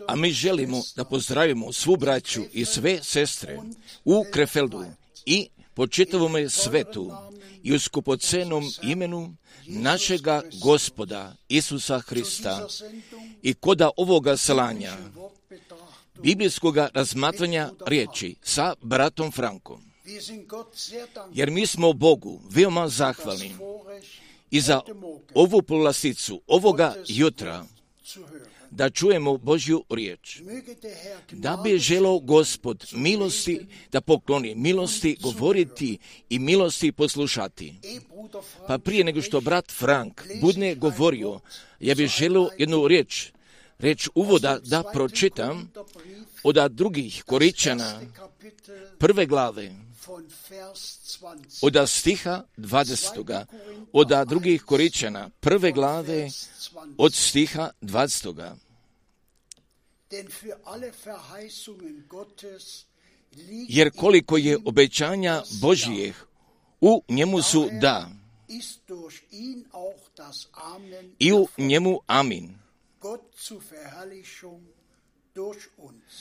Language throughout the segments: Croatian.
A mi želimo da pozdravimo svu braću i sve sestre u Krefeldu i po čitavome svetu i u skupocenom imenu našega Gospoda Isusa Hrista i koda ovoga slanja biblijskoga razmatranja riječi sa bratom Frankom. Jer mi smo Bogu veoma zahvalni i za ovu povlasticu ovoga jutra da čujemo Božju riječ. Da bi želeo Gospod milosti da pokloni, milosti govoriti i milosti poslušati. Pa prije nego što brat Frank budne govorio, ja bih želeo jednu riječ reč uvoda da pročitam od drugih Koričana, 1. glave, od stiha 20. Od drugih Koričana, 1. glave, od stiha 20. Jer koliko je obećanja Božijih, u njemu su da, i u njemu amin.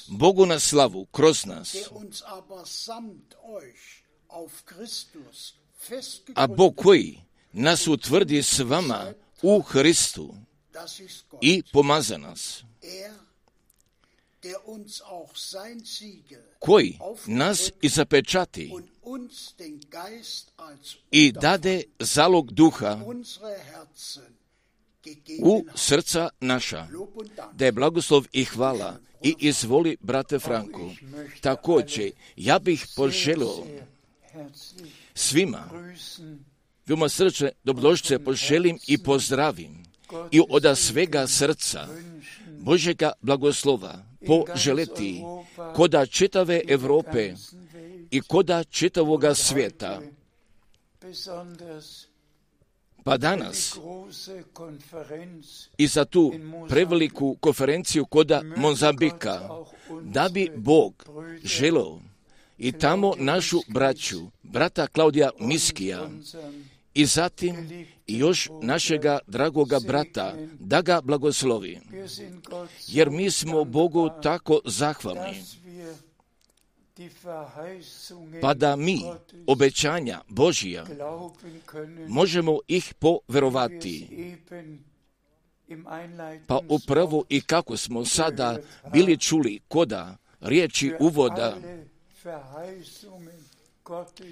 Bogu na slavu kroz nas. A Bog koji nas utvrdi s vama u Hristu i pomaza nas, koji nas i zapečati i dade zalog duha u srca naša, da je blagoslov i hvala. I izvoli, brate Franko, također ja bih poželio svima veoma srčne dobrodošlice poželim i pozdravim i od svega srca Božjega blagoslova poželiti koda čitave Europe i koda čitavoga svijeta. Pa danas i za tu preveliku konferenciju koda Mozambika, da bi Bog želeo i tamo našu brata Klaudija Miskija, i zatim još našega dragoga brata, da ga blagoslovi. Jer mi smo Bogu tako zahvalni, pa da mi obećanja Božija možemo ih poverovati. Pa upravo i kako smo sada bili čuli koda riječi uvoda,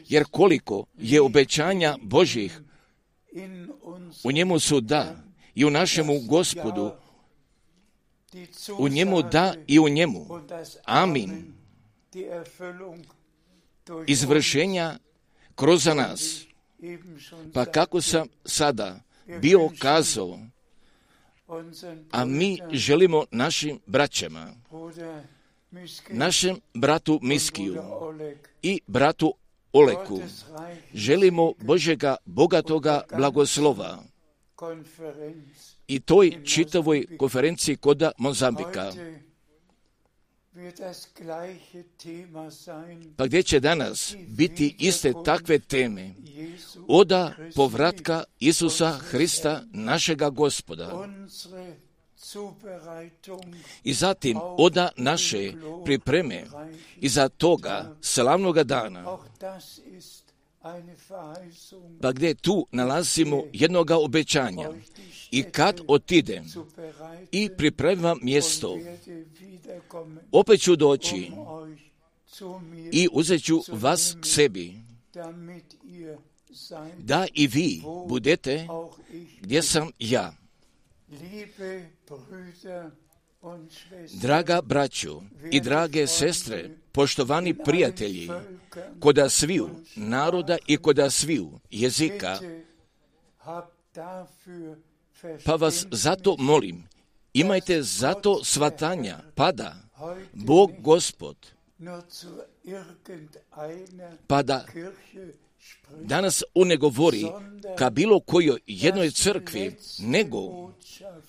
jer koliko je obećanja Božjih, u njemu su da, i u našemu Gospodu, u njemu da i u njemu. Amin. Izvršenja kroz nas. Pa kako sam sada bio kazao, a mi želimo našim braćama, našem bratu Miskiju i bratu Oleku, želimo Božjega bogatoga blagoslova i toj čitavoj konferenciji koda Mozambika. Pa gdje će danas biti iste takve teme od povratka Isusa Hrista, našega Gospoda, i zatim od naše pripreme iza toga slavnoga dana, pa gdje tu nalazimo jednoga obećanja. I kad otidem i pripremam mjesto, opet ću doći i uzet ću vas k sebi, da i vi budete gdje sam ja. Draga braćo i drage sestre, poštovani prijatelji, koda sviju naroda i koda sviju jezika, pa vas zato molim, imajte zato svatanja, pada Bog Gospod, pa da danas on ne govori ka bilo kojoj jednoj crkvi, nego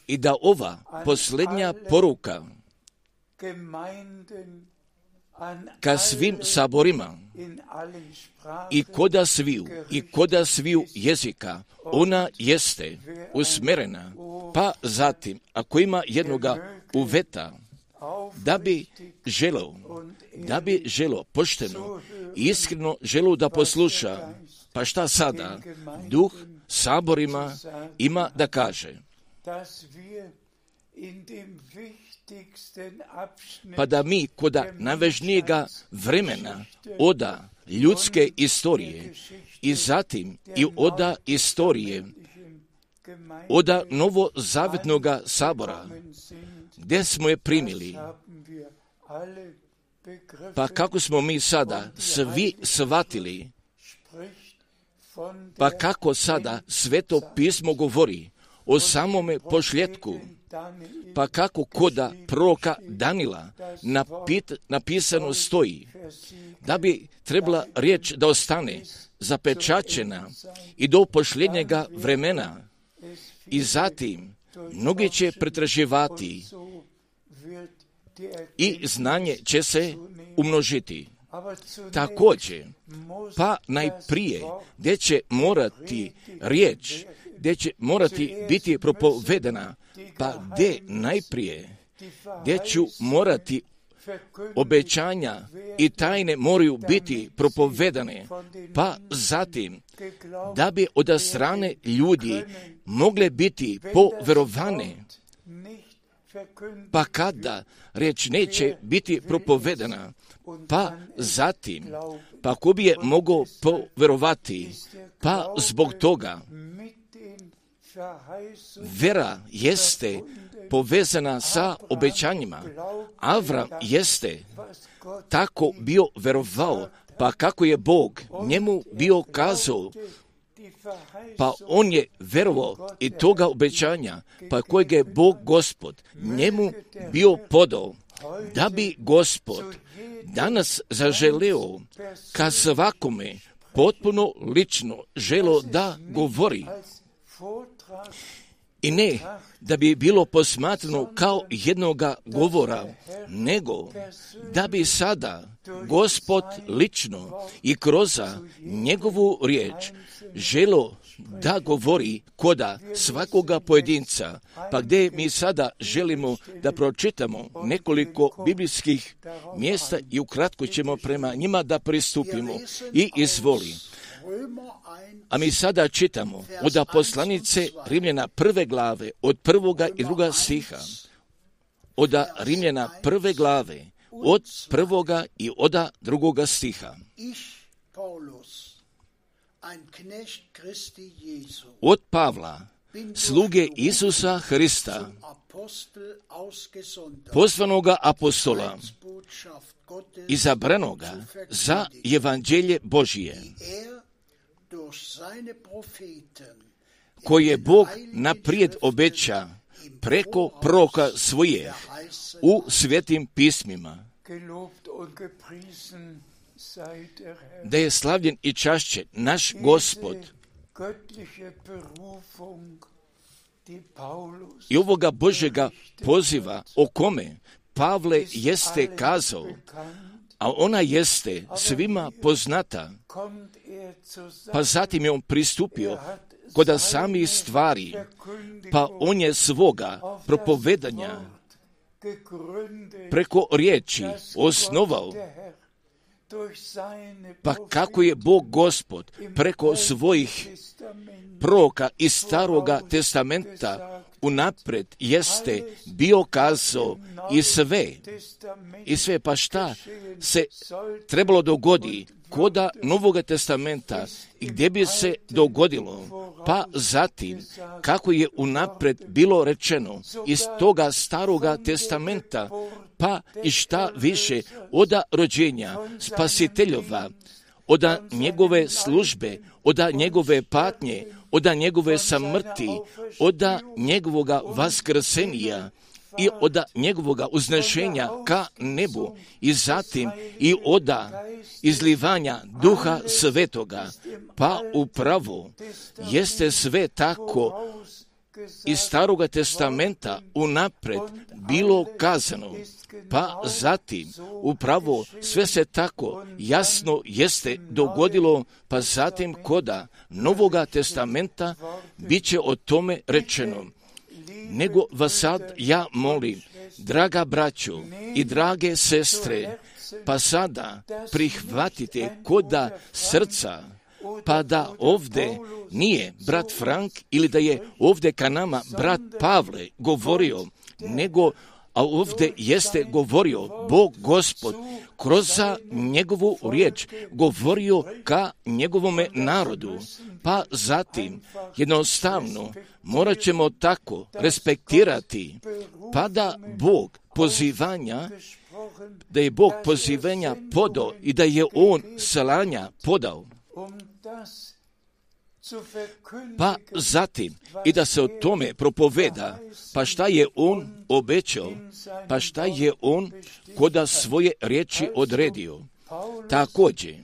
i da ova posljednja poruka ka svim saborima i koda sviju jezika, ona jeste usmjerena, pa zatim, ako ima jednoga uveta, da bi želo pošteno i iskreno želo da posluša, pa šta sada duh saborima ima da kaže? Pa da mi koda najvažnijega vremena oda ljudske istorije i zatim i oda istorije oda novozavetnoga sabora, gdje smo je primili, pa kako smo mi sada svi shvatili, pa kako sada Sveto pismo govori o samome pošljetku Pa kako koda proroka Danila napisano stoji, da bi trebala riječ da ostane zapečaćena i do posljednjega vremena. I zatim mnogi će pretraživati i znanje će se umnožiti. Također, pa najprije gdje će morati riječ, gdje će morati biti propovedena, pa gdje najprije, gdje ću morati obećanja i tajne moraju biti propovedane, pa zatim da bi od strane ljudi mogle biti poverovane, pa kada riječ neće biti propovedana, pa zatim, pa ko bi je mogao poverovati, pa zbog toga vera jeste povezana sa obećanjima. Avram jeste tako bio verovao, pa kako je Bog njemu bio kazao, pa on je verovao i toga obećanja, pa kojeg je Bog Gospod njemu bio podao, da bi Gospod danas zaželeo ka svakome potpuno lično želo da govori. I ne da bi bilo posmatrano kao jednoga govora, nego da bi sada Gospod lično i kroz njegovu riječ želo da govori koda svakoga pojedinca. Pa gdje mi sada želimo da pročitamo nekoliko biblijskih mjesta i ukratko ćemo prema njima da pristupimo. I izvoli. A mi sada čitamo od poslanice Rimljana 1. glave, od 1. i 2. stiha. Od Rimljana 1. glave, od 1. i od 2. stiha. Od Pavla, sluge Isusa Hrista, pozvanoga apostola, izabranoga za evanđelje Božije, koje Bog naprijed obeća preko proroka svoje u svetim pismima, da je slavljen i čašćen naš Gospod. I ovoga Božjega poziva o kome Pavle jeste kazao, a ona jeste svima poznata, pa zatim je on pristupio kod samih stvari, pa on je svoga propovedanja preko riječi osnovao, pa kako je Bog Gospod preko svojih proroka iz Staroga testamenta unaprijed jeste bio kazao i sve, pa šta se trebalo dogodi koda Novoga testamenta i gdje bi se dogodilo, pa zatim kako je unaprijed bilo rečeno iz toga Staroga testamenta, pa i šta više od rođenja Spasiteljova, od njegove službe, od njegove patnje, od njegove smrti, od njegovoga vaskrsenja i od njegovoga uznešenja ka nebu i zatim i od izlivanja Duha Svetoga, pa upravo jeste sve tako iz Staroga testamenta unaprijed bilo kazano, pa zatim upravo sve se tako jasno jeste dogodilo, pa zatim koda Novoga testamenta bit će o tome rečeno. Nego vas sad ja molim, draga braćo i drage sestre, pa sada prihvatite koda srca, pa da ovdje nije brat Frank ili da je ovdje ka nama brat Pavle govorio, nego a ovdje jeste govorio Bog Gospod kroz njegovu riječ, govorio ka njegovome narodu, pa zatim jednostavno morat ćemo tako respektirati, pa da Bog pozivanja podao i da je on slanja podao. pa zatim i da se o tome propoveda, pa šta je on obećao, pa šta je on koda svoje riječi odredio. Također,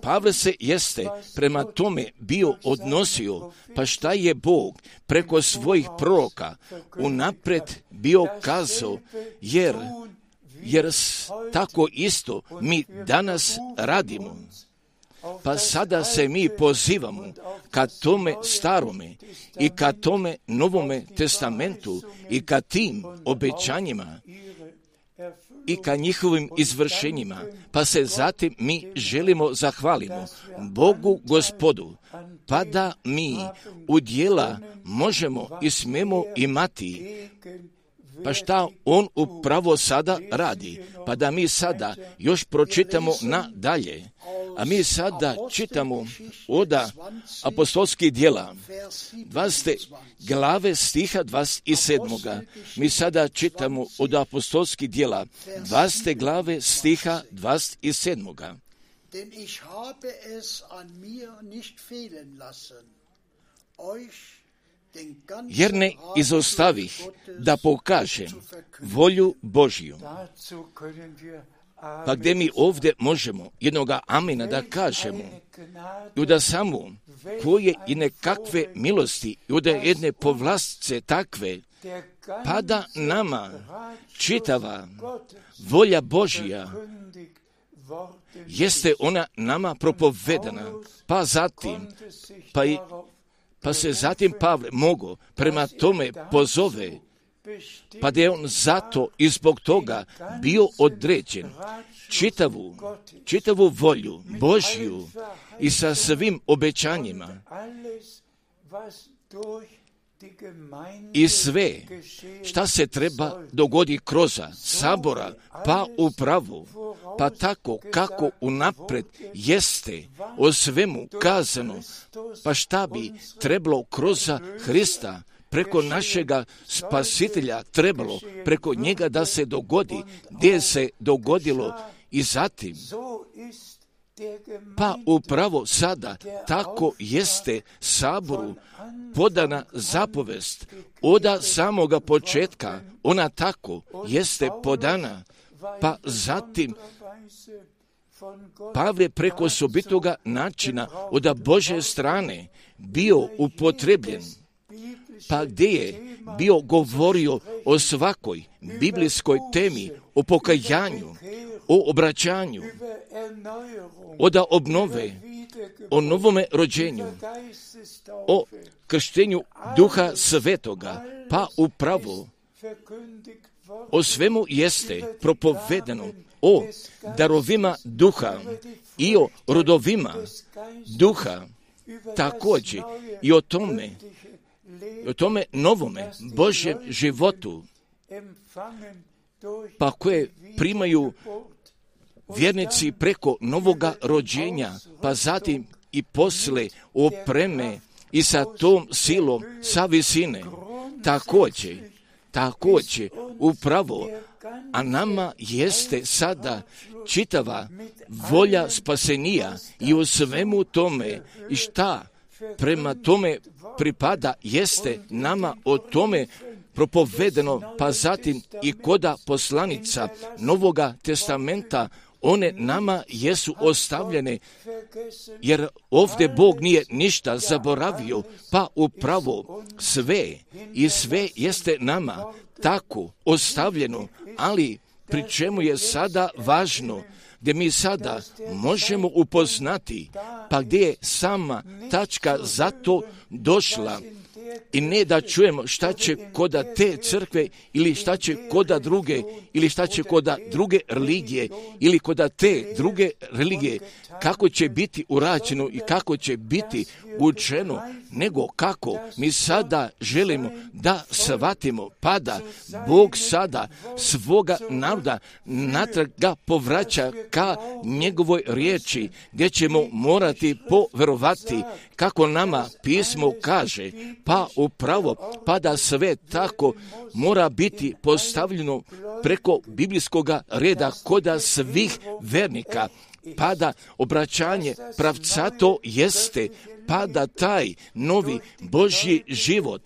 Pavle se jeste prema tome bio odnosio, pa šta je Bog preko svojih proroka unaprijed bio kazao, jer tako isto mi danas radimo. Pa sada se mi pozivamo ka tome starome i ka tome novome testamentu i ka tim obećanjima i ka njihovim izvršenjima, pa se zatim mi želimo zahvalimo Bogu Gospodu, pa da mi u djela možemo i smemo imati. Pa šta on upravo sada radi? Pa da mi sada još pročitamo nadalje. A mi sada čitamo od apostolskih djela 20. glave stiha 27. Mi sada čitamo od apostolskih djela 20. glave stiha 27. Denn ich habe es an mir nicht fehlen lassen, euch jer ne izostavih da pokažem volju Božju. Pa gdje mi ovdje možemo jednoga amina da kažemo i da samo koje i nekakve milosti i da jedne povlastce takve, pa da nama čitava volja Božja jeste ona nama propovedana, pa zatim, pa se zatim Pavle mogo prema tome pozove, pa da je on zato i zbog toga bio određen čitavu volju Božju i sa svim obećanjima i sve šta se treba dogodi kroz sabora, pa upravo, pa tako kako unaprijed jeste o svemu kazano, pa šta bi trebalo kroz Hrista preko našega spasitelja trebalo preko njega da se dogodi, gdje se dogodilo i zatim. Pa upravo sada tako jeste saboru podana zapovest od samoga početka, ona tako jeste podana, pa zatim Pavle preko osobitoga načina od Božje strane bio upotrebljen, pa gdje je bio govorio o svakoj biblijskoj temi, o pokajanju, o obraćanju, od obnove, o novome rođenju, o krštenju Duha Svetoga, pa upravo o svemu jeste propovedano o darovima Duha i o rodovima Duha, također i o tome novome Božjem životu, pa koje primaju vjernici preko novoga rođenja, pa zatim i posle opreme i sa tom silom sa visine. Također, upravo, a nama jeste sada čitava volja spasenija i u svemu tome i šta prema tome pripada jeste nama o tome propovedeno, pa zatim i koda poslanica Novoga testamenta, one nama jesu ostavljene, jer ovdje Bog nije ništa zaboravio, pa upravo sve jeste nama tako ostavljeno, ali pri čemu je sada važno, gdje mi sada možemo upoznati, pa gdje je sama tačka za to došla, i ne da čujemo šta će koda te crkve ili šta će koda druge ili šta će koda druge religije ili koda te druge religije, kako će biti urađeno i kako će biti učeno, nego kako mi sada želimo da shvatimo, pa da Bog sada svoga naroda natrag ga povraća ka njegovoj riječi, gdje ćemo morati poverovati kako nama pismo kaže, pa upravo, pa da sve tako mora biti postavljeno preko biblijskoga reda koda svih vernika pa da obraćanje pravcato jeste, pa da taj novi Božji život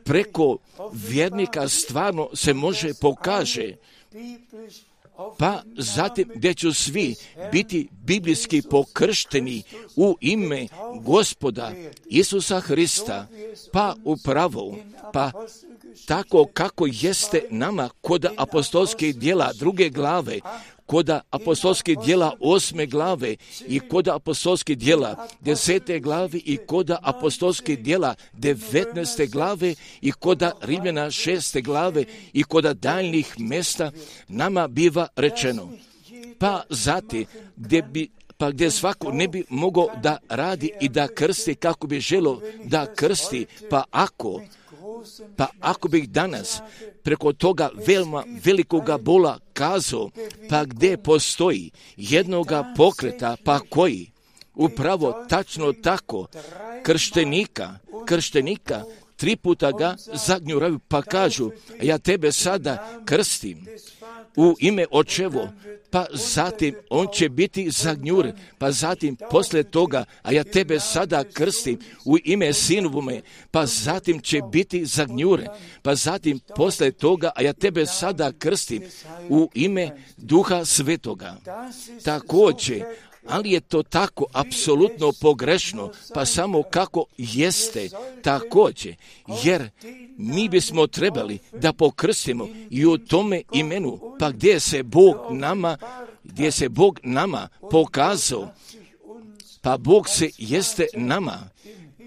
preko vjernika stvarno se može pokaže, pa zatim gdje će svi biti biblijski pokršteni u ime Gospoda Isusa Hrista, pa upravo, pa tako kako jeste nama kod apostolskih djela 2. glave, kod apostolskih djela 8. glave i kod apostolskih djela 10. glave i kod apostolskih djela 19. glave i kod Rimljana 6. glave i kod daljnjih mjesta nama biva rečeno. Pa zatim gdje svako ne bi mogao da radi i da krsti kako bi želo da krsti, pa ako bih danas preko toga veoma velikoga bola kazao, pa gdje postoji jednoga pokreta, pa koji upravo tačno tako krštenika 3 puta ga zagnjuraju, pa kažu, ja tebe sada krstim u ime Očevo, pa zatim on će biti zagnjuren, pa zatim poslije toga, a ja tebe sada krstim u ime Sinovome, pa zatim će biti zagnjuren, pa zatim poslije toga, a ja tebe sada krstim u ime Duha Svetoga. Također, ali je to tako apsolutno pogrešno, pa samo kako jeste također, jer mi bismo trebali da pokrstimo i u tome imenu, pa gdje se Bog nama pokazao, pa Bog se jeste nama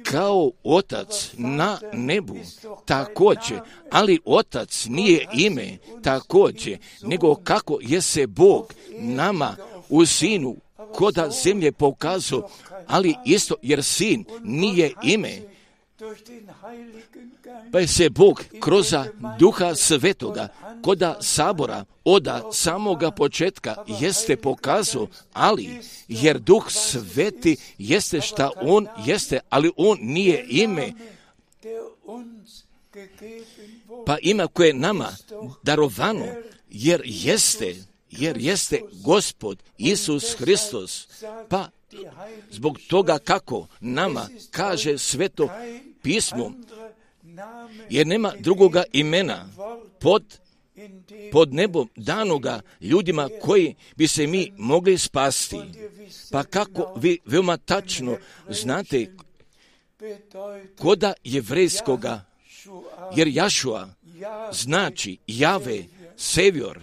kao Otac na nebu također, ali Otac nije ime također, nego kako je se Bog nama u Sinu koda zemlje pokazao, ali isto jer Sin nije ime, pa je se Bog kroz Duha Svetoga koda sabora od samoga početka jeste pokazao, ali jer Duh Sveti jeste šta On jeste, ali On nije ime, pa ima koje je nama darovano, jer jeste Gospod Isus Hristos, pa zbog toga kako nama kaže Sveto pismo, jer nema drugoga imena pod nebom danoga ljudima koji bi se mi mogli spasti. Pa kako vi veoma tačno znate koda jevrejskoga, jer Jašua znači Jave, Sevjor,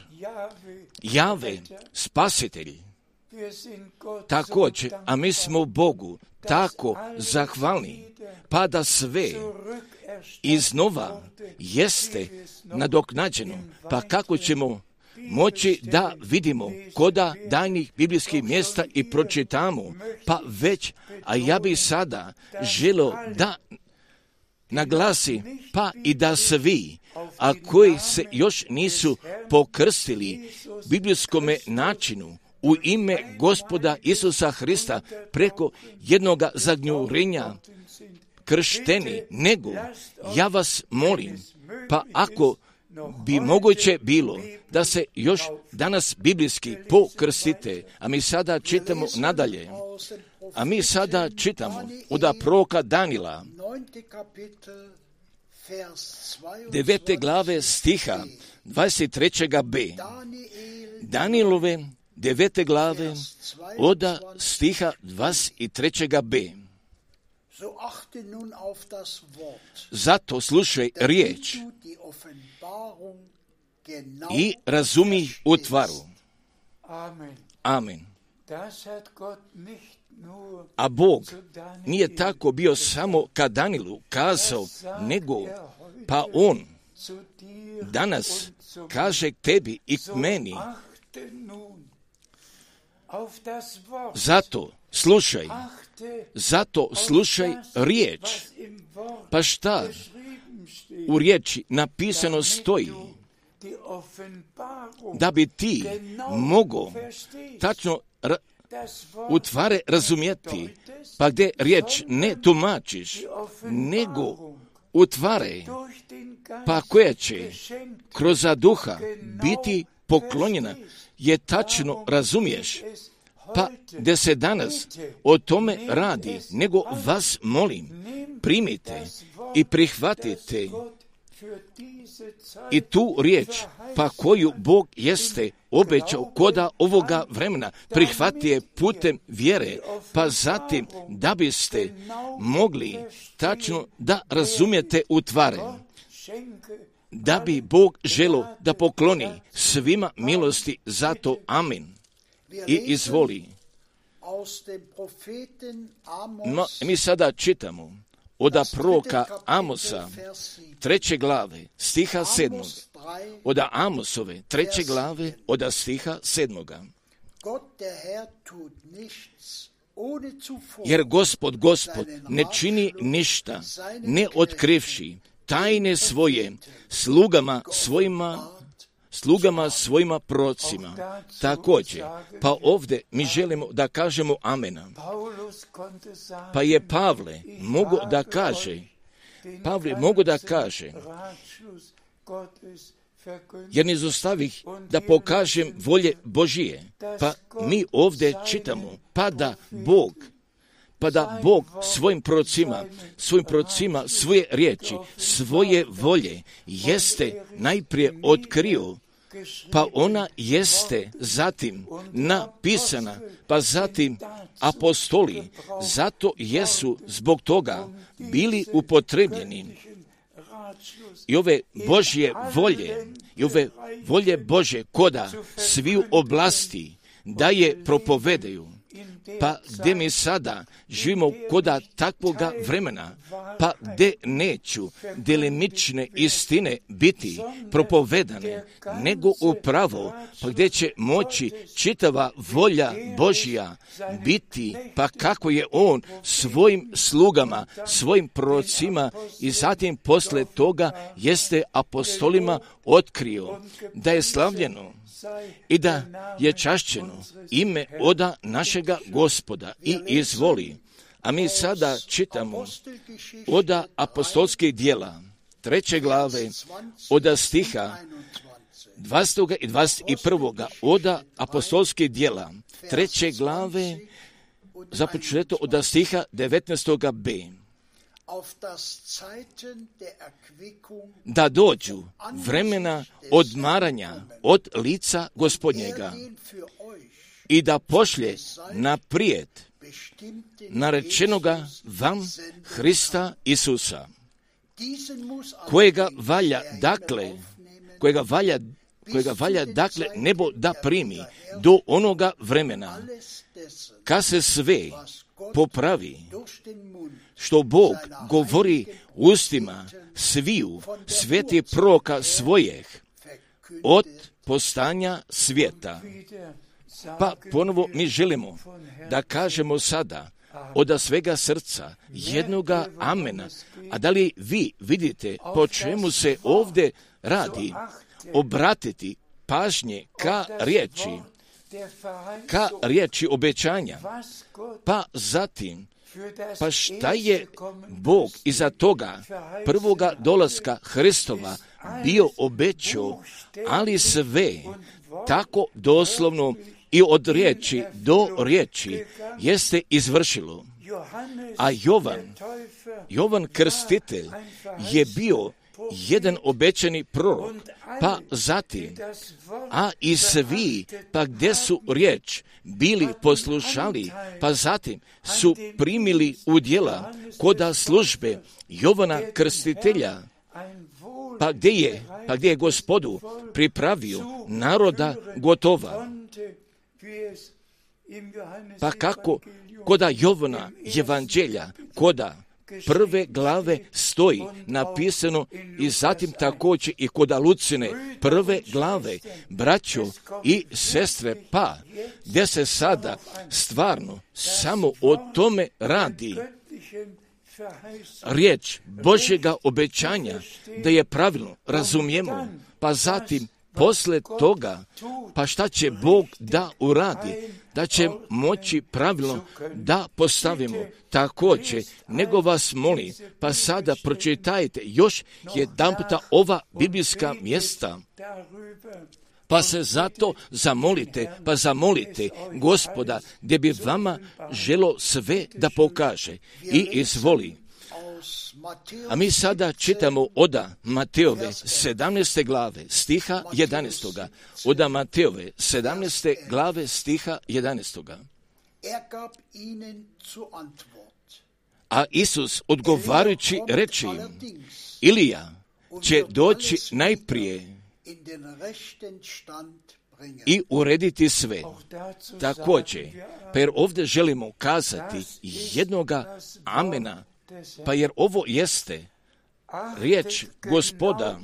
Jave, spasitelj. Također, a mi smo Bogu tako zahvalni, pa da sve iznova jeste nadoknađeno, pa kako ćemo moći da vidimo koda daljnjih biblijskih mjesta i pročitamo, pa već, a ja bih sada želio da naglasi, pa i da svi, a koji se još nisu pokrstili biblijskome načinu u ime Gospoda Isusa Hrista preko jednoga zagnjurenja kršteni, nego ja vas molim, pa ako bi moguće bilo da se još danas biblijski pokrstite, a mi sada čitamo nadalje, od proroka Danila, 9. glave stiha 23b. Danilove 9. glave od stiha 23b. Zato slušaj riječ i razumi utvaru. Amen. A Bog nije tako bio samo ka Danilu kazao, nego pa On danas kaže tebi i k meni. Zato slušaj riječ. Pa šta u riječi napisano stoji? Da bi ti mogao tačno utvare razumjeti, pa gdje riječ ne tumačiš, nego utvare, pa koja će kroz duha biti poklonjena, je tačno razumiješ, Pa da se danas o tome radi, nego vas molim, primite i prihvatite i tu riječ, pa koju Bog jeste obećao koda ovoga vremena, prihvati je putem vjere, pa zatim da biste mogli tačno da razumijete utvare, da bi Bog želo da pokloni svima milosti za to. Amin. I izvoli. No, mi sada čitamo od proroka Amosa, 3. glave, stiha 7. Od Amosove, 3. glave, od stiha 7. Jer Gospod ne čini ništa, ne otkrivši tajne svoje slugama svojima prorocima. Također, pa ovdje mi želimo da kažemo amena. Pa je Pavle mogu da kaže, jer ne zostavih da pokažem volje Božije. Pa mi ovdje čitamo, pa da Bog svojim prorocima svoje riječi, svoje volje jeste najprije otkrio, pa ona jeste zatim napisana, pa zatim apostoli, zato jesu zbog toga bili upotrebljeni. I ove Božje volje, i ove volje Bože koda sviju oblasti da je propovedaju. Pa gdje mi sada živimo koda takvoga vremena, pa gdje neću delimične istine biti propovedane, nego upravo, pa gdje će moći čitava volja Božja biti, pa kako je On svojim slugama, svojim prorocima i zatim posle toga jeste apostolima otkrio da je slavljeno i da je čašćeno ime oda našega Gospoda i izvoli. A mi sada čitamo oda apostolskih djela, 3. glave, oda stiha 20. i 21. oda apostolskih djela, 3. glave, započeto oda stiha 19b. Da dođu vremena odmaranja od lica Gospodnjega i da pošlje naprijed narečenoga vam Hrista Isusa, kojega valja dakle nebo da primi do onoga vremena, kad se sve popravi, što Bog govori ustima sviju svetih proroka svojih od postanja svijeta. Pa ponovo mi želimo da kažemo sada od svega srca jednoga amena. A da li vi vidite po čemu se ovdje radi? Obratiti pažnje ka riječi obećanja, pa zatim, pa šta je Bog iza toga prvoga dolaska Hristova bio obećao, ali sve tako doslovno i od riječi do riječi jeste izvršilo. A Jovan Krstitelj je bio jedan obećani prorok, pa zatim, a i svi, pa gdje su riječ bili poslušali, pa zatim su primili u djela koda službe Jovana Krstitelja, pa gdje je Gospodu pripravio naroda gotova. Pa kako koda Jovana evanđelja, koda 1. glave stoji napisano i zatim također i koda Lucine 1. glave, braćo i sestre, pa gdje se sada stvarno samo o tome radi. Riječ Božjega obećanja da je pravilno razumijemo, pa zatim posle toga, pa šta će Bog da uradi, da će moći pravilno da postavimo također, nego vas moli, pa sada pročitajte još jedanputa ova biblijska mjesta, Pa se zato zamolite Gospoda, gdje bi vama želo sve da pokaže i izvoli. A mi sada čitamo od Mateove 17. glave stiha 11. Od Mateove 17. glave stiha 11. A Isus odgovarajući reče im, Ilija će doći najprije i urediti sve. Također, pa jer ovdje želimo kazati jednoga amena, pa jer ovo jeste riječ Gospoda.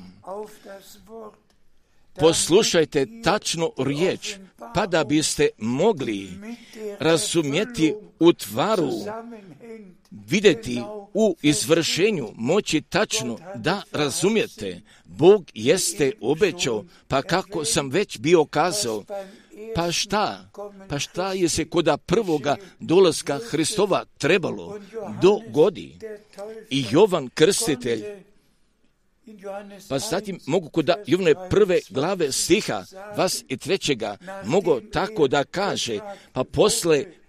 Poslušajte tačno riječ, pa da biste mogli razumjeti u tvaru, vidjeti u izvršenju, moći tačno da razumijete. Bog jeste obećao, pa kako sam već bio kazao, pa šta je se koda prvoga dolaska Hristova trebalo dogodi. I Jovan Krstitelj, pa zatim mogu koda Jovane 1. glave stiha 23. mogu tako da kaže,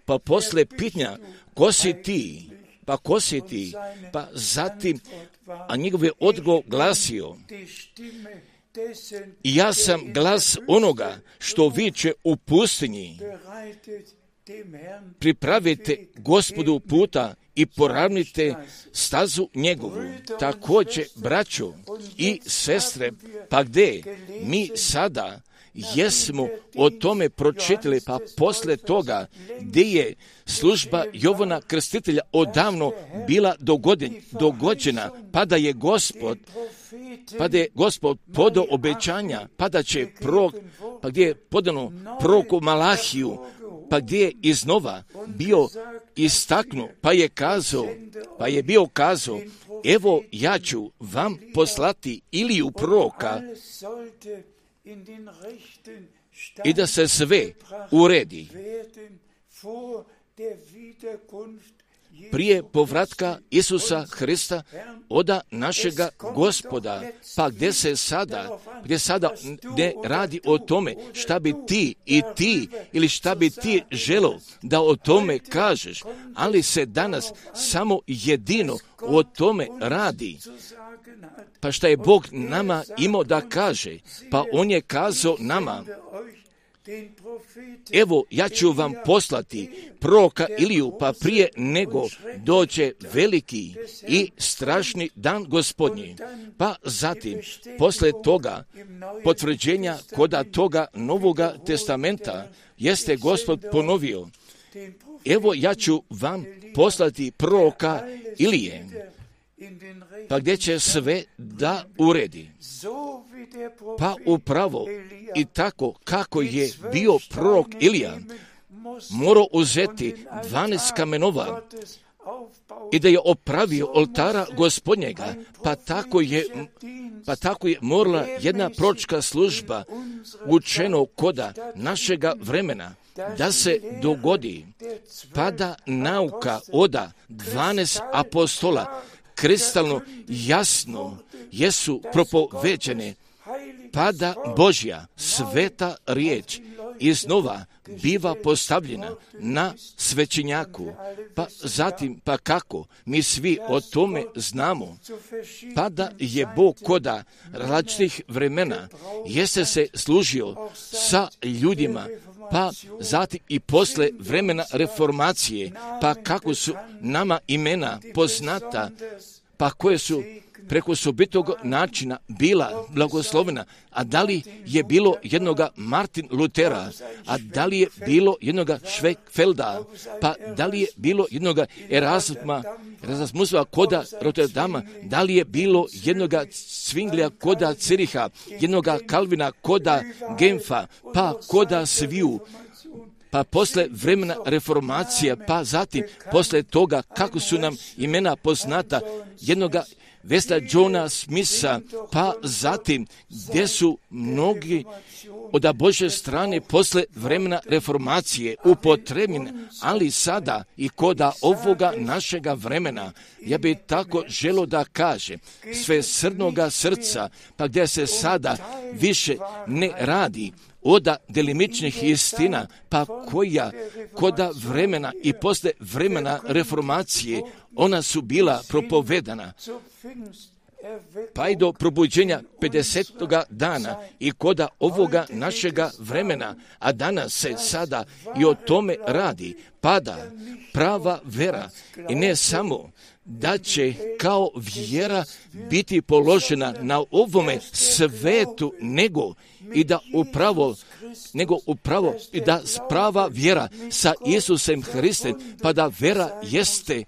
pa posle pitanja, ko si ti? Pa zatim, a njegov je odgovor glasio, ja sam glas onoga što viče u pustinji, pripravite Gospodu puta i poravnite stazu njegovu. Također, braćo i sestre, pa gdje mi sada jesmo o tome pročitali, pa posle toga gdje je služba Jovana Krstitelja odavno bila dogođena, pa da je Gospod podao obećanja, pa da će pa gdje je podano proroku Malahiju, pa gdje je iznova bio istaknu, pa je bio kazao, evo ja ću vam poslati Iliju proroka i da se sve uredi prije povratka Isusa Hrista oda našega Gospoda, pa gdje sada ne radi o tome šta bi ti i ti ili šta bi ti želo da o tome kažeš, ali se danas samo jedino o tome radi. Pa šta je Bog nama imao da kaže? Pa on je kazao nama, evo ja ću vam poslati proroka Iliju, pa prije nego dođe veliki i strašni dan Gospodnji. Pa zatim, posle toga potvrđenja koda toga Novoga testamenta, jeste Gospod ponovio, evo ja ću vam poslati proroka Ilije, pa gdje će sve da uredi. Pa upravo i tako kako je bio prorok Ilija morao uzeti 12 kamenova i da je opravio oltara Gospodnjega, pa tako je morala jedna proročka služba učeno koda našega vremena da se dogodi, pa da nauka oda 12 apostola kristalno jasno jesu propoveđene, pa da Božja sveta riječ iznova biva postavljena na svećenjaku, pa zatim pa kako mi svi o tome znamo, pa da je Bog koda različitih vremena jeste se služio sa ljudima, pa zatim i posle vremena reformacije, pa kako su nama imena poznata, pa koje su preko osobitog načina bila blagoslovena, a da li je bilo jednoga Martin Lutera, a da li je bilo jednoga Schwenkfelda, pa da li je bilo jednoga Erasmusa koda Rotterdama, da li je bilo jednoga Zwinglija koda Ciriha, jednoga Kalvina koda Genfa, pa koda sviju, pa posle vremena reformacije, pa zatim posle toga kako su nam imena poznata jednoga Westa Johna Smitha, pa zatim gdje su mnogi od Božje strane posle vremena reformacije upotrebljeni, ali sada i koda ovoga našega vremena, ja bih tako želo da kaže, sve srnoga srca, pa gdje se sada više ne radi oda delimičnih istina, pa koja koda vremena i posle vremena reformacije, ona su bila propovedana, pa i do probuđenja 50. dana i koda ovoga našega vremena, a danas se sada i o tome radi, pada prava vera i ne samo da će kao vjera biti položena na ovome svetu, nego upravo i da sprava vjera sa Isusem Hristem, pa da vera jeste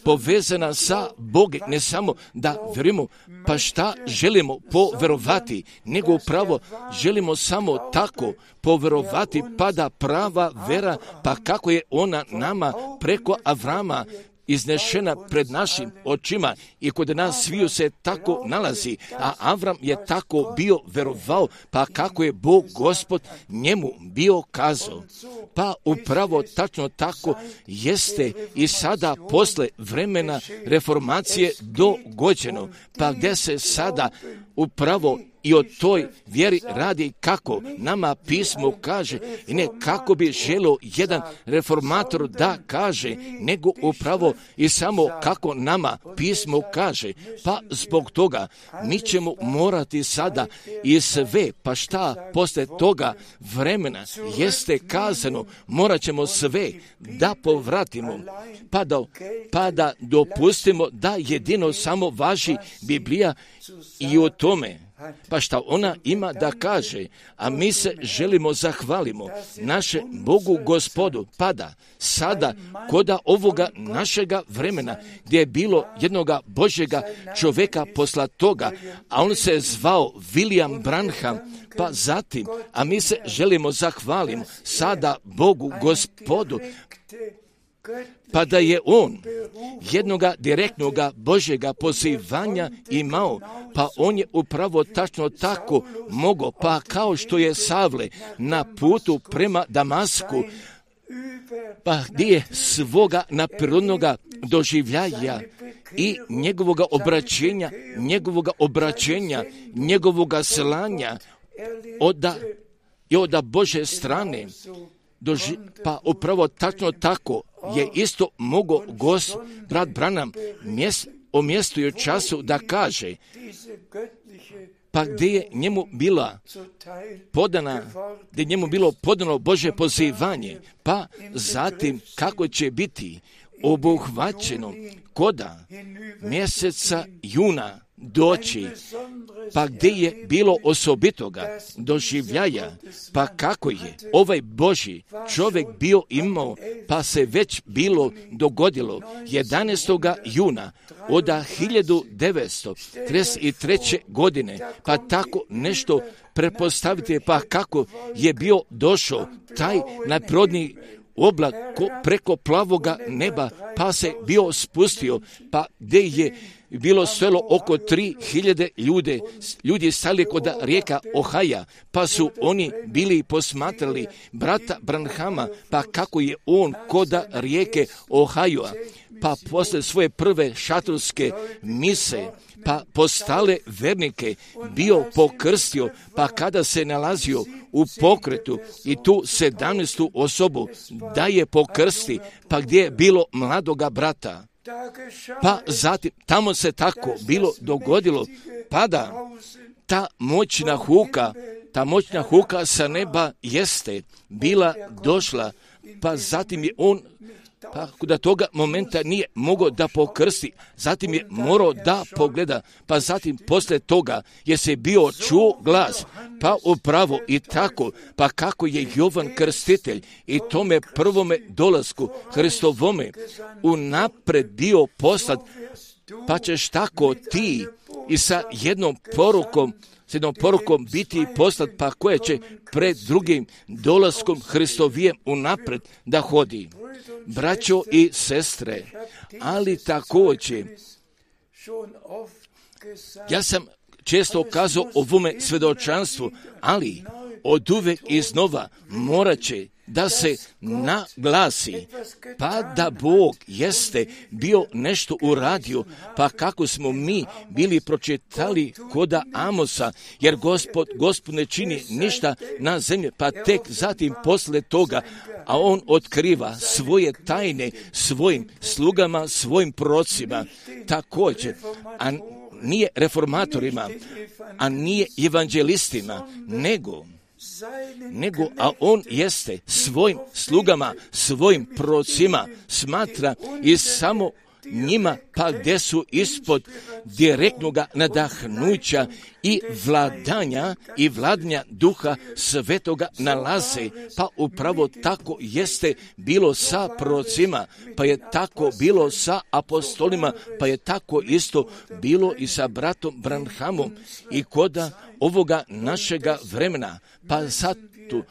povezana sa Bogom, ne samo da verujemo, pa šta želimo poverovati, nego upravo želimo samo tako poverovati, pa da prava vera, pa kako je ona nama preko Avrama iznešena pred našim očima i kod nas sviju se tako nalazi, a Avram je tako bio verovao, pa kako je Bog Gospod njemu bio kazao. Pa upravo tačno tako jeste i sada posle vremena reformacije dogođeno, pa gdje se sada upravo i o toj vjeri radi kako nama pismo kaže i ne kako bi želio jedan reformator da kaže, nego upravo i samo kako nama pismo kaže. Pa zbog toga mi ćemo morati sada i sve, pa šta posle toga vremena jeste kazano, morat ćemo sve da povratimo, pa da dopustimo da jedino samo važi Biblija i o tome. Pa šta ona ima da kaže, a mi se želimo zahvalimo naše Bogu Gospodu, pada sada koda ovoga našega vremena, gdje je bilo jednoga Božjega čovjeka posla toga, a on se zvao William Branham, pa zatim, a mi se želimo zahvalimo sada Bogu Gospodu, pa da je on jednoga direktnoga Božjega pozivanja imao, pa on je upravo tačno tako mogao, pa kao što je Savle na putu prema Damasku, pa gdje je svoga naprirodnoga doživljaja i njegovoga obraćenja, njegovoga slanja od Bože strane, pa upravo tačno tako je isto mogao brat Branham o mjestu i o času da kaže, pa gdje je njemu bila bilo podano Božje pozivanje, pa zatim kako će biti obuhvaćeno koda mjeseca juna doći, pa gdje je bilo osobitoga doživljaja, pa kako je ovaj Božji čovjek bio imao, pa se već bilo dogodilo 11. juna od 1933. godine, pa tako nešto prepostavite, pa kako je bio došao taj najprirodniji oblak preko plavoga neba, pa se bio spustio, pa gdje je bilo selo oko 3000 ljudi stali kod rijeka Ohaja, pa su oni bili posmatrali brata Branhama, pa kako je on kod rijeke Ohaja, pa posle svoje prve šatorske mise, pa postale vernike bio pokrstio, pa kada se nalazio u pokretu i tu 17. osobu da je pokrsti, pa gdje je bilo mladoga brata. Pa zatim tamo se tako bilo dogodilo, pa da ta moćna huka sa neba jeste bila došla, pa zatim je on, pa do toga momenta nije mogao da pokrsti, zatim je morao da pogleda, pa zatim posle toga je se bio čuo glas, pa upravo i tako, pa kako je Jovan Krstitelj i tome prvome dolasku Hristovome unapred bio poslat, pa ćeš tako ti i sa jednom porukom biti poslat, pa koje će pred drugim dolaskom Hristovijem unapred da hodi. Braćo i sestre, ali također, ja sam često kazao o ovome svedočanstvu, ali od uvek iznova morat će da se naglasi, pa da Bog jeste bio nešto uradio, pa kako smo mi bili pročitali koda Amosa, jer Gospod ne čini ništa na zemlji, pa tek zatim posle toga, a on otkriva svoje tajne svojim slugama, svojim prorocima, također, a nije reformatorima, a nije evanđelistima, nego, a on jeste svojim slugama, svojim prorocima smatra i samo njima, pa gdje su ispod direktnog nadahnuća i vladanja Duha Svetoga nalaze, pa upravo tako jeste bilo sa prorocima, pa je tako bilo sa apostolima, pa je tako isto bilo i sa bratom Branhamom i koda ovoga našega vremena, pa sad tu.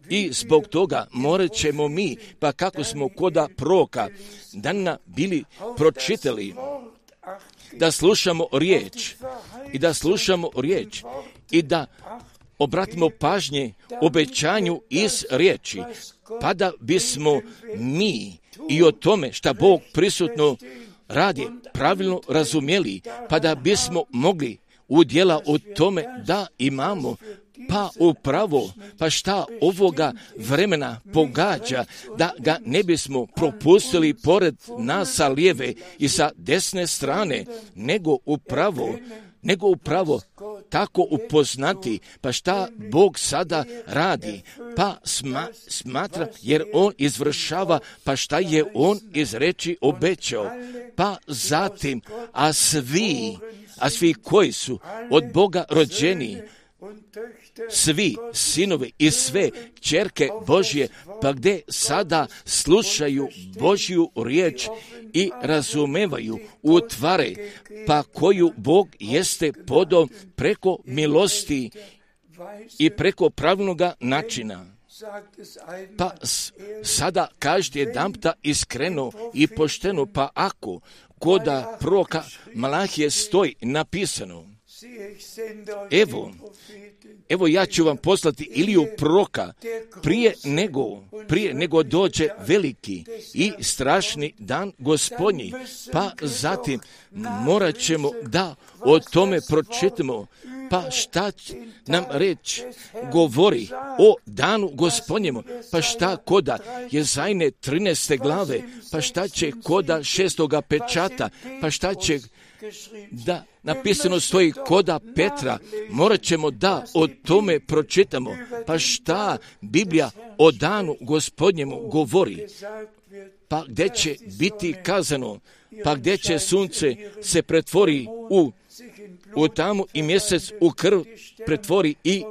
I zbog toga morat ćemo mi, pa kako smo koda proroka dana bili pročitali, da slušamo riječ i da obratimo pažnje obećanju iz riječi, pa da bismo mi i o tome šta Bog prisutno radi pravilno razumjeli, pa da bismo mogli udjela u tome da imamo, pa upravo, pa šta ovoga vremena pogađa, da ga ne bismo propustili pored nas sa lijeve i sa desne strane, nego upravo tako upoznati, pa šta Bog sada radi, pa smatra, jer On izvršava, pa šta je On iz reči obećao, pa zatim, a svi koji su od Boga rođeni, svi sinovi i sve ćerke Božje, pa gdje sada slušaju Božju riječ i razumevaju, utvare, pa koju Bog jeste podao preko milosti i preko pravilnog načina. Pa sada kažete jedanputa iskreno i pošteno, pa ako koda proroka Malahije stoji napisano, evo ja ću vam poslati Iliju proroka prije nego dođe veliki i strašni dan Gospodnji, pa zatim morat ćemo da o tome pročitamo, pa šta nam reč govori o danu Gospodnjemu, pa šta koda Jezajne 13. glave, pa šta će koda 6. pečata, pa šta će da napisano stoji koda Petra, morat ćemo da o tome pročitamo, pa šta Biblija o danu Gospodnjemu govori, pa gdje će biti kazano, pa gdje će sunce se pretvori u tamu i mjesec u krv pretvori i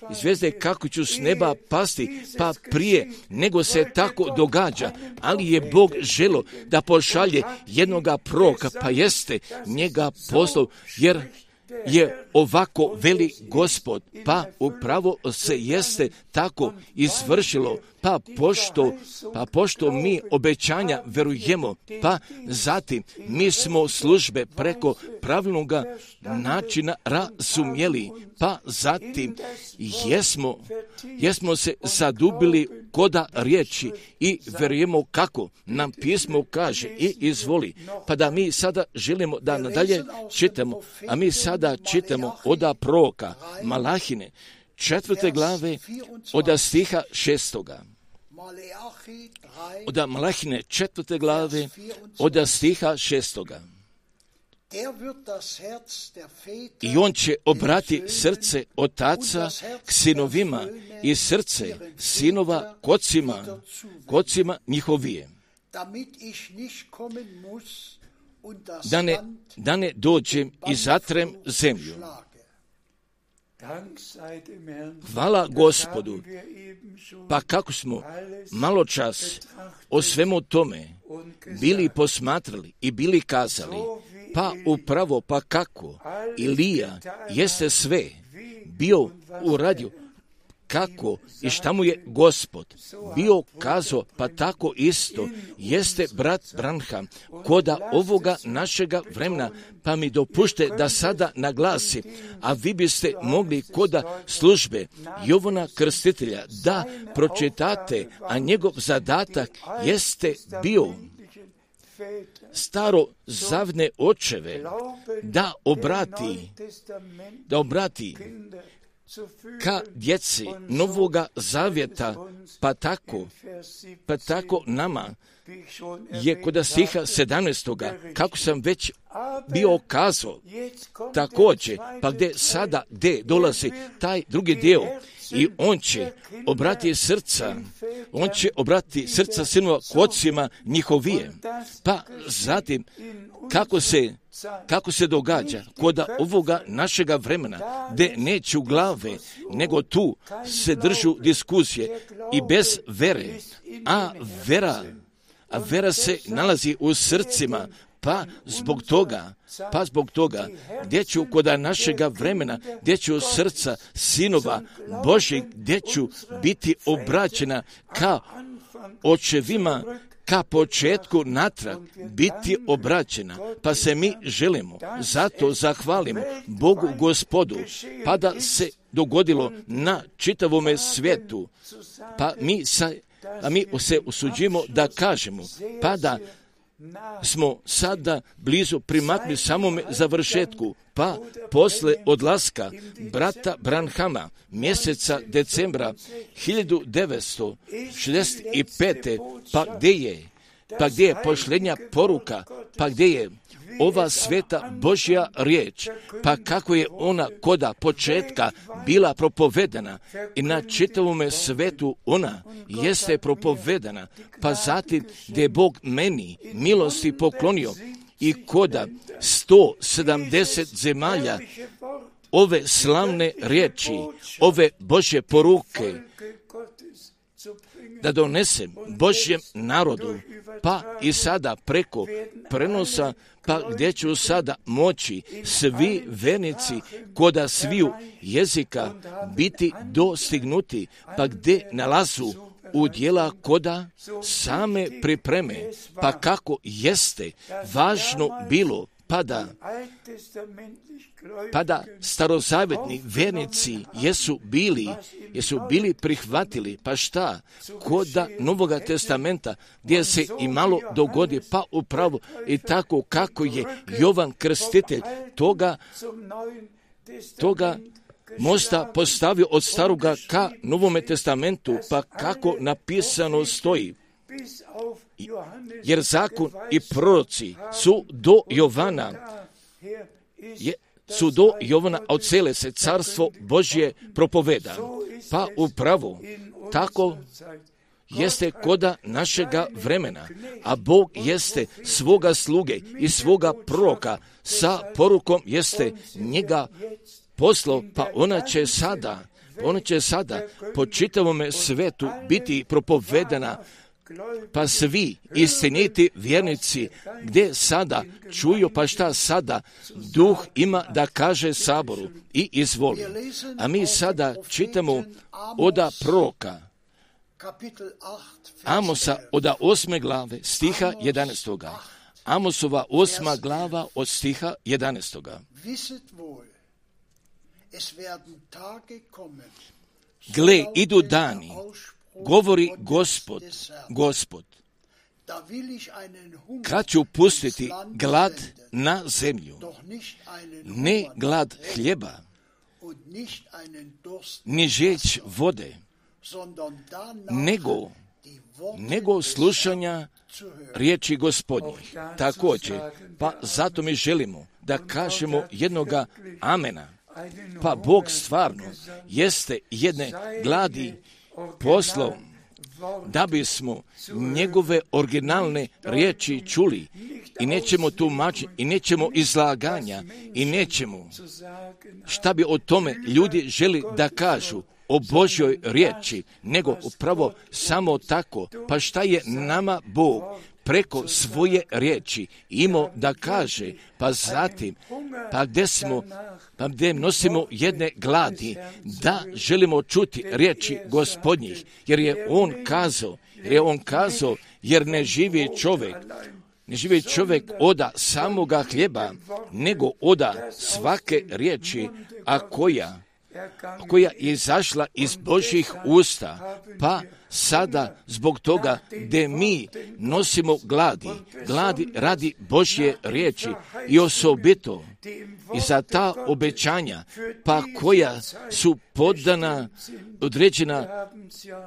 zvijezde kako će s neba pasti, pa prije nego se tako događa, ali je Bog želo da pošalje jednoga proroka, pa jeste njega poslao, jer je ovako veli Gospod, pa upravo se jeste tako izvršilo, pa pošto mi obećanja verujemo, pa zatim mi smo službe preko pravilnog načina razumjeli, pa zatim jesmo se zadubili koda riječi i verujemo kako nam pismo kaže i izvoli, pa da mi sada želimo da nadalje čitamo, a mi sada čitamo oda proroka Malahine 4. glave od stiha 6. Od Malahine 4. glave od stiha 6. I on će obrati srce otaca k sinovima i srce sinova kocima njihovije, da ne dođem i zatrem zemlju. Hvala Gospodu, pa kako smo malo čas o svemu tome bili posmatrali i bili kazali, pa upravo, pa kako Ilija jeste sve bio uradio, kako i šta mu je Gospod bio kazao, pa tako isto jeste brat Branham koda ovoga našega vremena, pa mi dopušte da sada naglasi, a vi biste mogli koda službe Jovana Krstitelja da pročitate, a njegov zadatak jeste bio starozavne očeve da obrati ka djeci Novoga Zavjeta, pa tako nama je kod stiha 17. kako sam već bio kazao, također, pa gdje dolazi taj drugi dio i on će obrati srca sinova k ocima njihovije. Pa zatim, kako se događa kod ovoga našega vremena, gdje neću glave, nego tu se držu diskusije i bez vere, a vera se nalazi u srcima, pa zbog toga, gdje ću kod našega vremena, gdje ću srca sinova Božjih, gdje ću biti obraćena ka očevima, ka početku natrag biti obraćena, pa se mi želimo, zato zahvalimo Bogu Gospodu, pa da se dogodilo na čitavome svijetu, pa mi se usuđimo da kažemo, pa da smo sada blizu primakli samome završetku, pa posle odlaska brata Branhama mjeseca decembra 1965. pa gdje je pošljenja poruka, pa gdje je ova sveta Božja riječ, pa kako je ona koda početka bila propovedana i na čitavome svetu ona jeste propovedana, pa zatim gdje je Bog meni milosti poklonio i koda 170 zemalja ove slavne riječi, ove Božje poruke, da donesem Božjem narodu, pa i sada preko prenosa, pa gdje ću sada moći svi vernici koda sviju jezika biti dostignuti, pa gdje nalazu u dijela koda same pripreme, pa kako jeste važno bilo, pa da starozavjetni vernici jesu bili prihvatili, pa šta, koda Novoga testamenta, gdje se i malo dogodi, pa upravo i tako kako je Jovan Krstitelj toga mosta postavio od staroga ka Novome testamentu, pa kako napisano stoji. Jer zakon i proroci su do Jovana od cele se carstvo Božje propoveda. Pa upravo tako jeste koda našega vremena, a Bog jeste svoga sluge i svoga proroka sa porukom jeste njega poslao, pa ona će sada po čitavome svetu biti propovedana, pa svi istiniti vjernici gdje sada čuju, pa šta sada Duh ima da kaže Saboru i izvoli. A mi sada čitamo oda proroka Amosa oda 8. glave stiha 11. Amosova 8. glava od stiha 11. Gle, idu dani, govori Gospod, kad ću pustiti glad na zemlju, ne glad hljeba, ni žeć vode, nego slušanja riječi Gospodnjih. Također, pa zato mi želimo da kažemo jednoga amena. Pa Bog stvarno jeste jedne gladi poslao da bismo njegove originalne riječi čuli i nećemo tumačiti i nećemo izlaganja i nećemo šta bi o tome ljudi želi da kažu o Božjoj riječi, nego upravo samo tako. Pa šta je nama Bog preko svoje riječi imao da kaže, pa zatim, pa gdje nosimo jedne gladi, da želimo čuti riječi Gospodnjih, jer je on kazao, jer ne živi čovjek oda samoga hljeba, nego oda svake riječi, a koja je izašla iz Božjih usta. Pa sada zbog toga gdje mi nosimo gladi radi Božje riječi i osobito i za ta obećanja, pa koja su podana, određena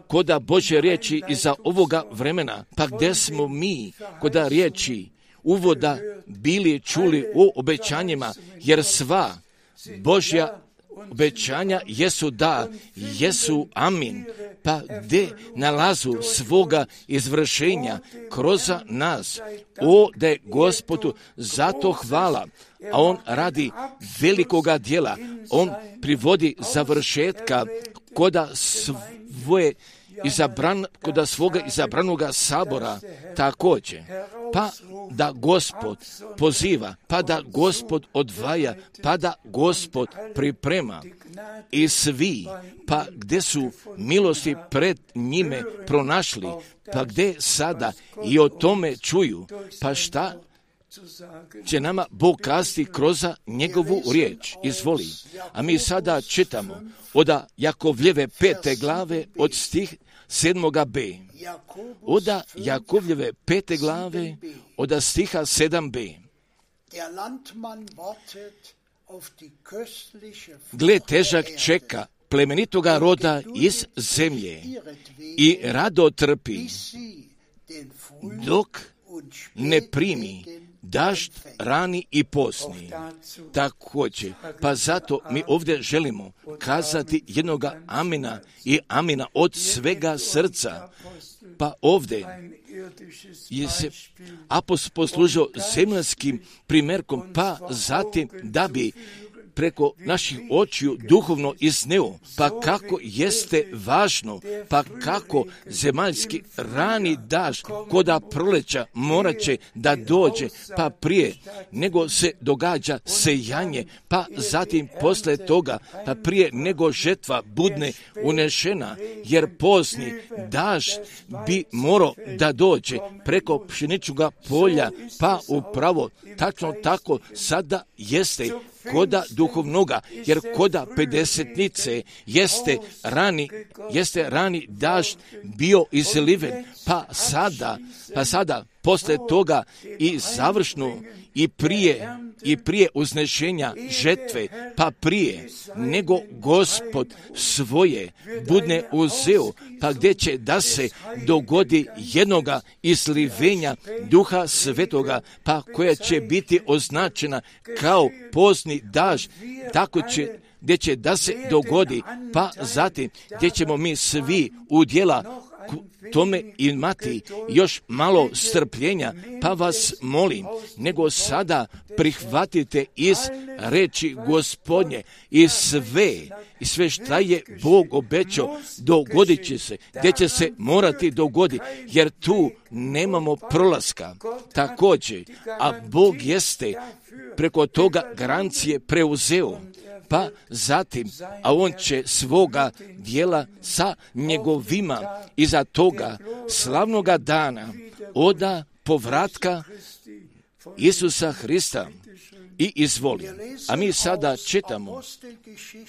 koda Božje riječi i za ovoga vremena, pa gdje smo mi koda riječi uvoda bili čuli o obećanjima, jer sva Božja obećanja jesu da, jesu amin, pa gdje nalazu svoga izvršenja kroz nas. Da je Gospodu zato hvala, a on radi velikoga djela, on privodi završetka koda svoga izabranoga sabora također. Pa da Gospod poziva, pa da Gospod odvaja, pa da Gospod priprema i svi, pa gdje su milosti pred njime pronašli, pa gdje sada i o tome čuju, pa šta će nama Bog kazati kroz njegovu riječ. Izvoli. A mi sada čitamo od Jakovljeve 5. glave od stih 7b. Od Jakovljeve 5. glave od stiha 7b. Gle, težak čeka plemenitoga roda iz zemlje i rado trpi, dok ne primi dažd rani i posni. Također, pa zato mi ovdje želimo kazati jednoga amina i amina od svega srca. Pa ovdje je se apostol poslužio zemaljskim primjerkom, pa zatim da bi preko naših očiju duhovno izneo, pa kako jeste važno, pa kako zemaljski rani dažd koda proleća morat će da dođe, pa prije nego se događa sejanje, pa zatim posle toga, pa prije nego žetva budne unešena, jer pozni dažd bi morao da dođe preko pšeničnoga polja, pa upravo tačno tako sada jeste koda duhovnoga, jer koda pedesetnice jeste rani dažd bio izliven, pa sada posle toga i završno i prije uznešenja žetve, pa prije nego Gospod svoje budne uzeo, pa gdje će da se dogodi jednoga izlivenja Duha Svetoga, pa koja će biti označena kao pozni dažd, tako će gdje će da se dogodi, pa zatim gdje ćemo mi svi udjela tome imati još malo strpljenja, pa vas molim, nego sada prihvatite iz reči Gospodnje i sve šta je Bog obećao dogodit će se, gdje će se morati dogoditi, jer tu nemamo prolaska. Također, a Bog jeste preko toga garancije preuzeo, pa zatim, a on će svoga dijela sa njegovima iza toga slavnoga dana oda povratka Isusa Hrista i izvoli. A mi sada čitamo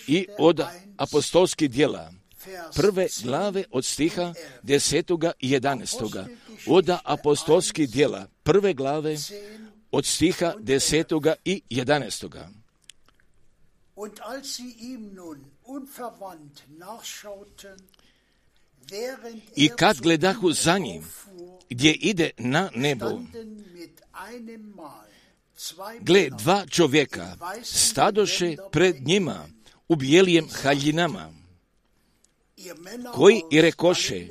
i od apostolskih djela 1. glave od stiha 10. i 11. Od apostolskih djela 1. glave od stiha 10. i 11. Und als sie ihm nun unverwandt nachschauten, I kad gledahu za njim, gdje ide na nebo, gle, dva čovjeka stadoše pred njima u bijelijem haljinama, koji i rekoše: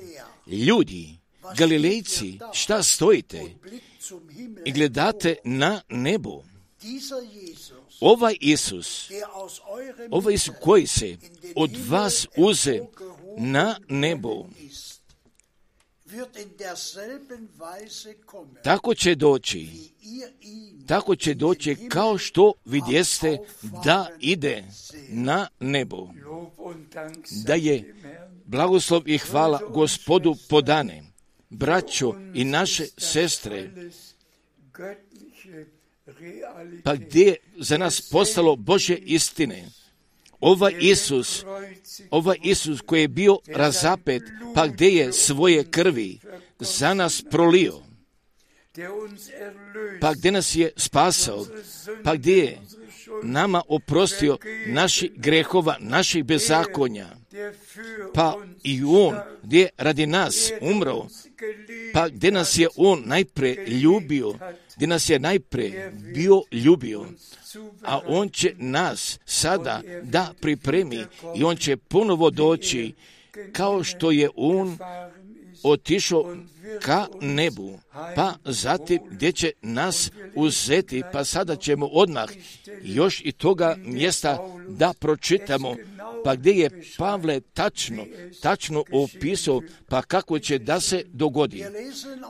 ljudi, Galilejci, šta stojite i gledate na nebo? Ovaj Isus koji se od vas uze na nebo, tako će doći kao što vidjeste da ide na nebo. Da je blagoslov i hvala Gospodu podane, braćo i naše sestre, pa gdje je za nas postalo Božje istine. Ovaj Isus koji je bio razapet, pa gdje je svoje krvi za nas prolio, pa gdje nas je spasao, pa gdje je nama oprostio naših grehova, naših bezakonja, pa i On gdje je radi nas umro, pa gdje nas je On najprije ljubio, gdje nas je najprije bio ljubio, a On će nas sada da pripremi i On će ponovo doći kao što je On otišao ka nebu, pa zatim gdje će nas uzeti, pa sada ćemo odmah još i toga mjesta da pročitamo, pa gdje je Pavle tačno opisao, pa kako će da se dogodi.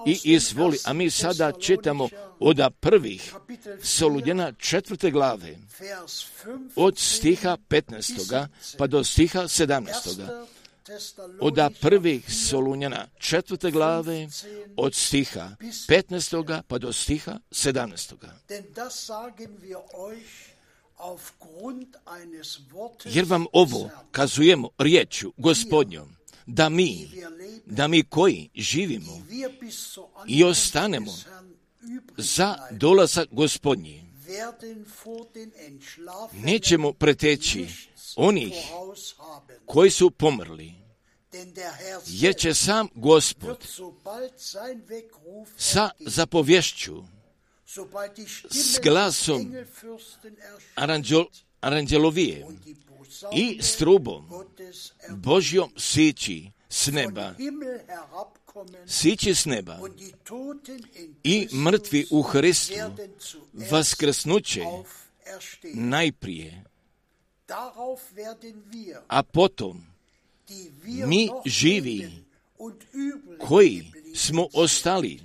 I izvoli, a mi sada čitamo od prvih Solunjana 4. glave, od stiha 15. pa do stiha 17. Od prvih Solunjana 4. glave, od stiha 15. pa do stiha 17. Jer vam ovo kazujemo riječju Gospodnjom, da mi koji živimo i ostanemo za dolazak Gospodnji, nećemo preteći onih koji su pomrli, jer će sam Gospod sa zapovješću, s glasom aranđelovije i s trubom Božjom sići s neba i mrtvi u Hristu vaskrsnuće najprije, a potom mi živi koji smo ostali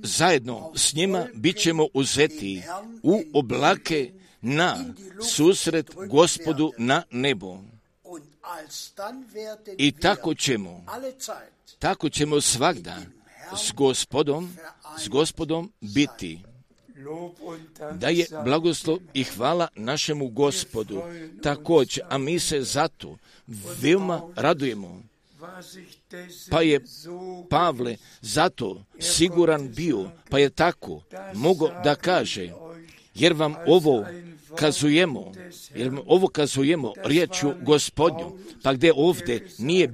zajedno s njima bit ćemo uzeti u oblake na susret Gospodu na nebo. I tako ćemo svagda s Gospodom biti. Da je blagoslov i hvala našemu Gospodu također, a mi se zato veoma radujemo. Pa je Pavle zato siguran bio, pa je tako mogao da kaže, jer vam ovo kazujemo riječju Gospodnju, pa gdje ovdje nije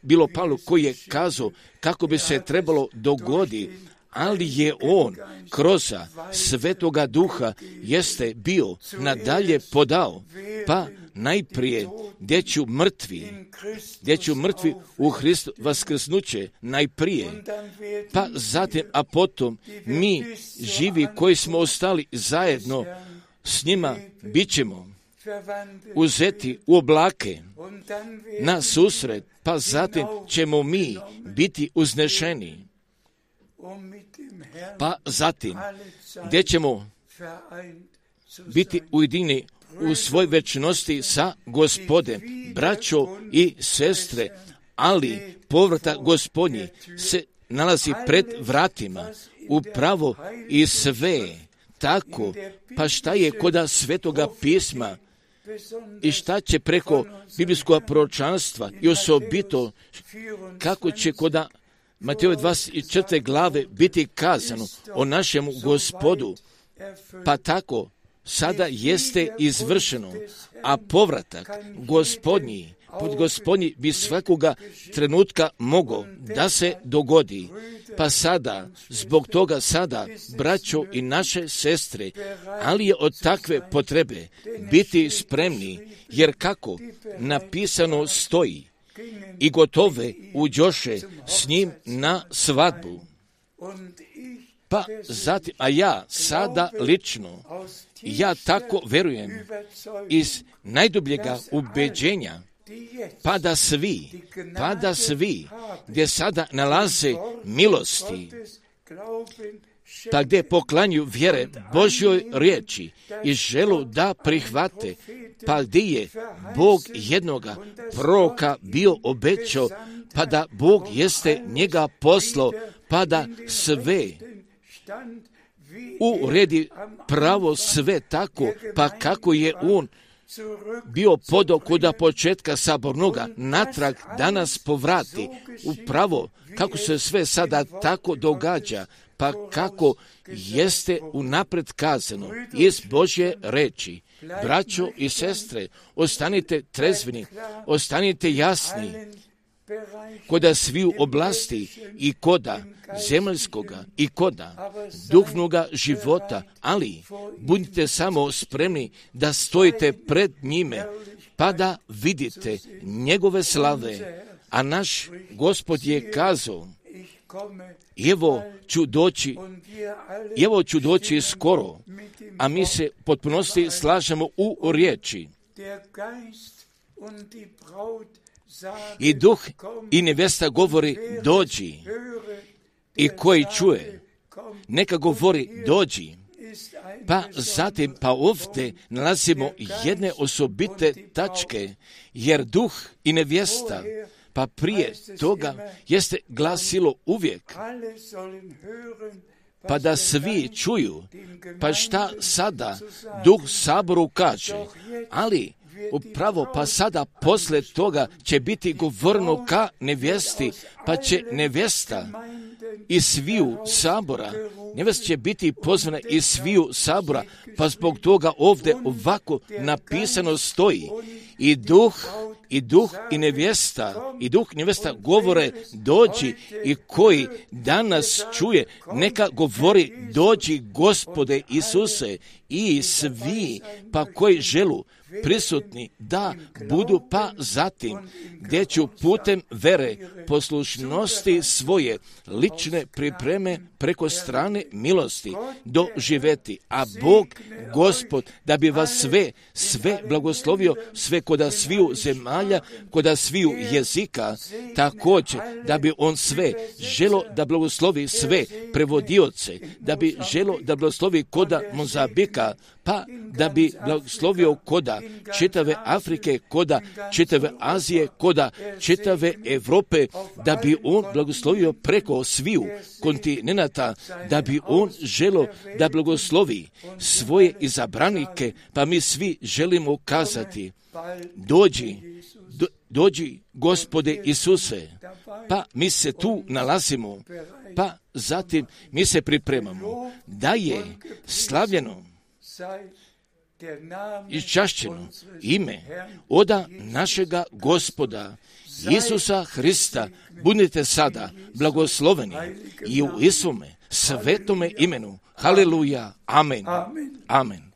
bilo Pavlo koji je kazao kako bi se trebalo dogoditi, ali je on kroz Svetoga Duha jeste bio nadalje podao, pa najprije gdje ću mrtvi u Hristu vaskrsnuće najprije, pa zatim, a potom mi živi koji smo ostali zajedno s njima bit ćemo uzeti u oblake na susret, pa zatim ćemo mi biti uznešeni, pa zatim gdje ćemo biti ujedinjeni u svoj večnosti sa Gospodem, braćo i sestre, ali povratak Gospodnji se nalazi pred vratima, upravo i sve tako, pa šta je koda Svetoga pisma i šta će preko biblijskog proročanstva i osobito kako će koda Matejove 24. glave biti kazano o našemu Gospodu, pa tako sada jeste izvršeno, a povratak Gospodnji bi svakoga trenutka mogao da se dogodi. Pa sada, zbog toga sada, braćo i naše sestre, ali je od takve potrebe biti spremni, jer kako napisano stoji, i gotove uđoše s njim na svadbu. Pa zatim, a ja sada lično, ja tako verujem iz najdubljega ubeđenja, pa da svi gdje sada nalaze milosti, pa gdje poklanju vjere Božjoj riječi i želu da prihvate, pa gdje je Bog jednoga proroka bio obećao, pa da Bog jeste njega poslao, pa da sve uredi pravo sve tako, pa kako je on bio podao kuda početka sabornoga, natrag danas povrati upravo kako se sve sada tako događa, pa kako jeste unapred kazano iz Božje reči. Braćo i sestre, ostanite trezveni, ostanite jasni, koda sviju oblasti i koda zemaljskoga i koda duhovnoga života, ali budite samo spremni da stojite pred njime, pa da vidite njegove slave. A naš Gospod je kazao, evo ću doći skoro, a mi se potpunosti slažemo u riječi. I duh i nevesta govori dođi, i koji čuje neka govori dođi. Pa zatim ovdje nalazimo jedne osobite tačke, jer duh i nevjesta, pa prije toga jeste glasilo uvijek, pa da svi čuju, pa šta sada duh saboru kaže, ali upravo pa sada posle toga će biti govorno ka nevjesti, pa će nevjesta iz sviju sabora, nevjesta će biti pozvana iz sviju sabora, pa zbog toga ovdje ovako napisano stoji, i duh i nevjesta govore dođi, i koji danas čuje neka govori dođi Gospode Isuse, i svi pa koji želu prisutni da budu, pa zatim gdje ću putem vere poslušnosti svoje lične pripreme preko strane milosti doživeti, a Bog Gospod da bi vas sve blagoslovio, sve koda sviju zemalja, koda sviju jezika, također da bi on sve želo da blagoslovi sve prevodioce, da bi želo da blagoslovi koda Mozambika, pa da bi blagoslovio koda čitave Afrike, koda čitave Azije, koda čitave Europe, da bi on blagoslovio preko sviju kontinenata, da bi on želo da blagoslovi svoje izabranike, pa mi svi želimo kazati dođi Gospode Isuse, pa mi se tu nalazimo, pa zatim mi se pripremamo da je slavljeno i čašćeno ime oda našega Gospoda Isusa Hrista. Budite sada blagosloveni i u Isome svetome imenu. Haleluja. Amen. Amen.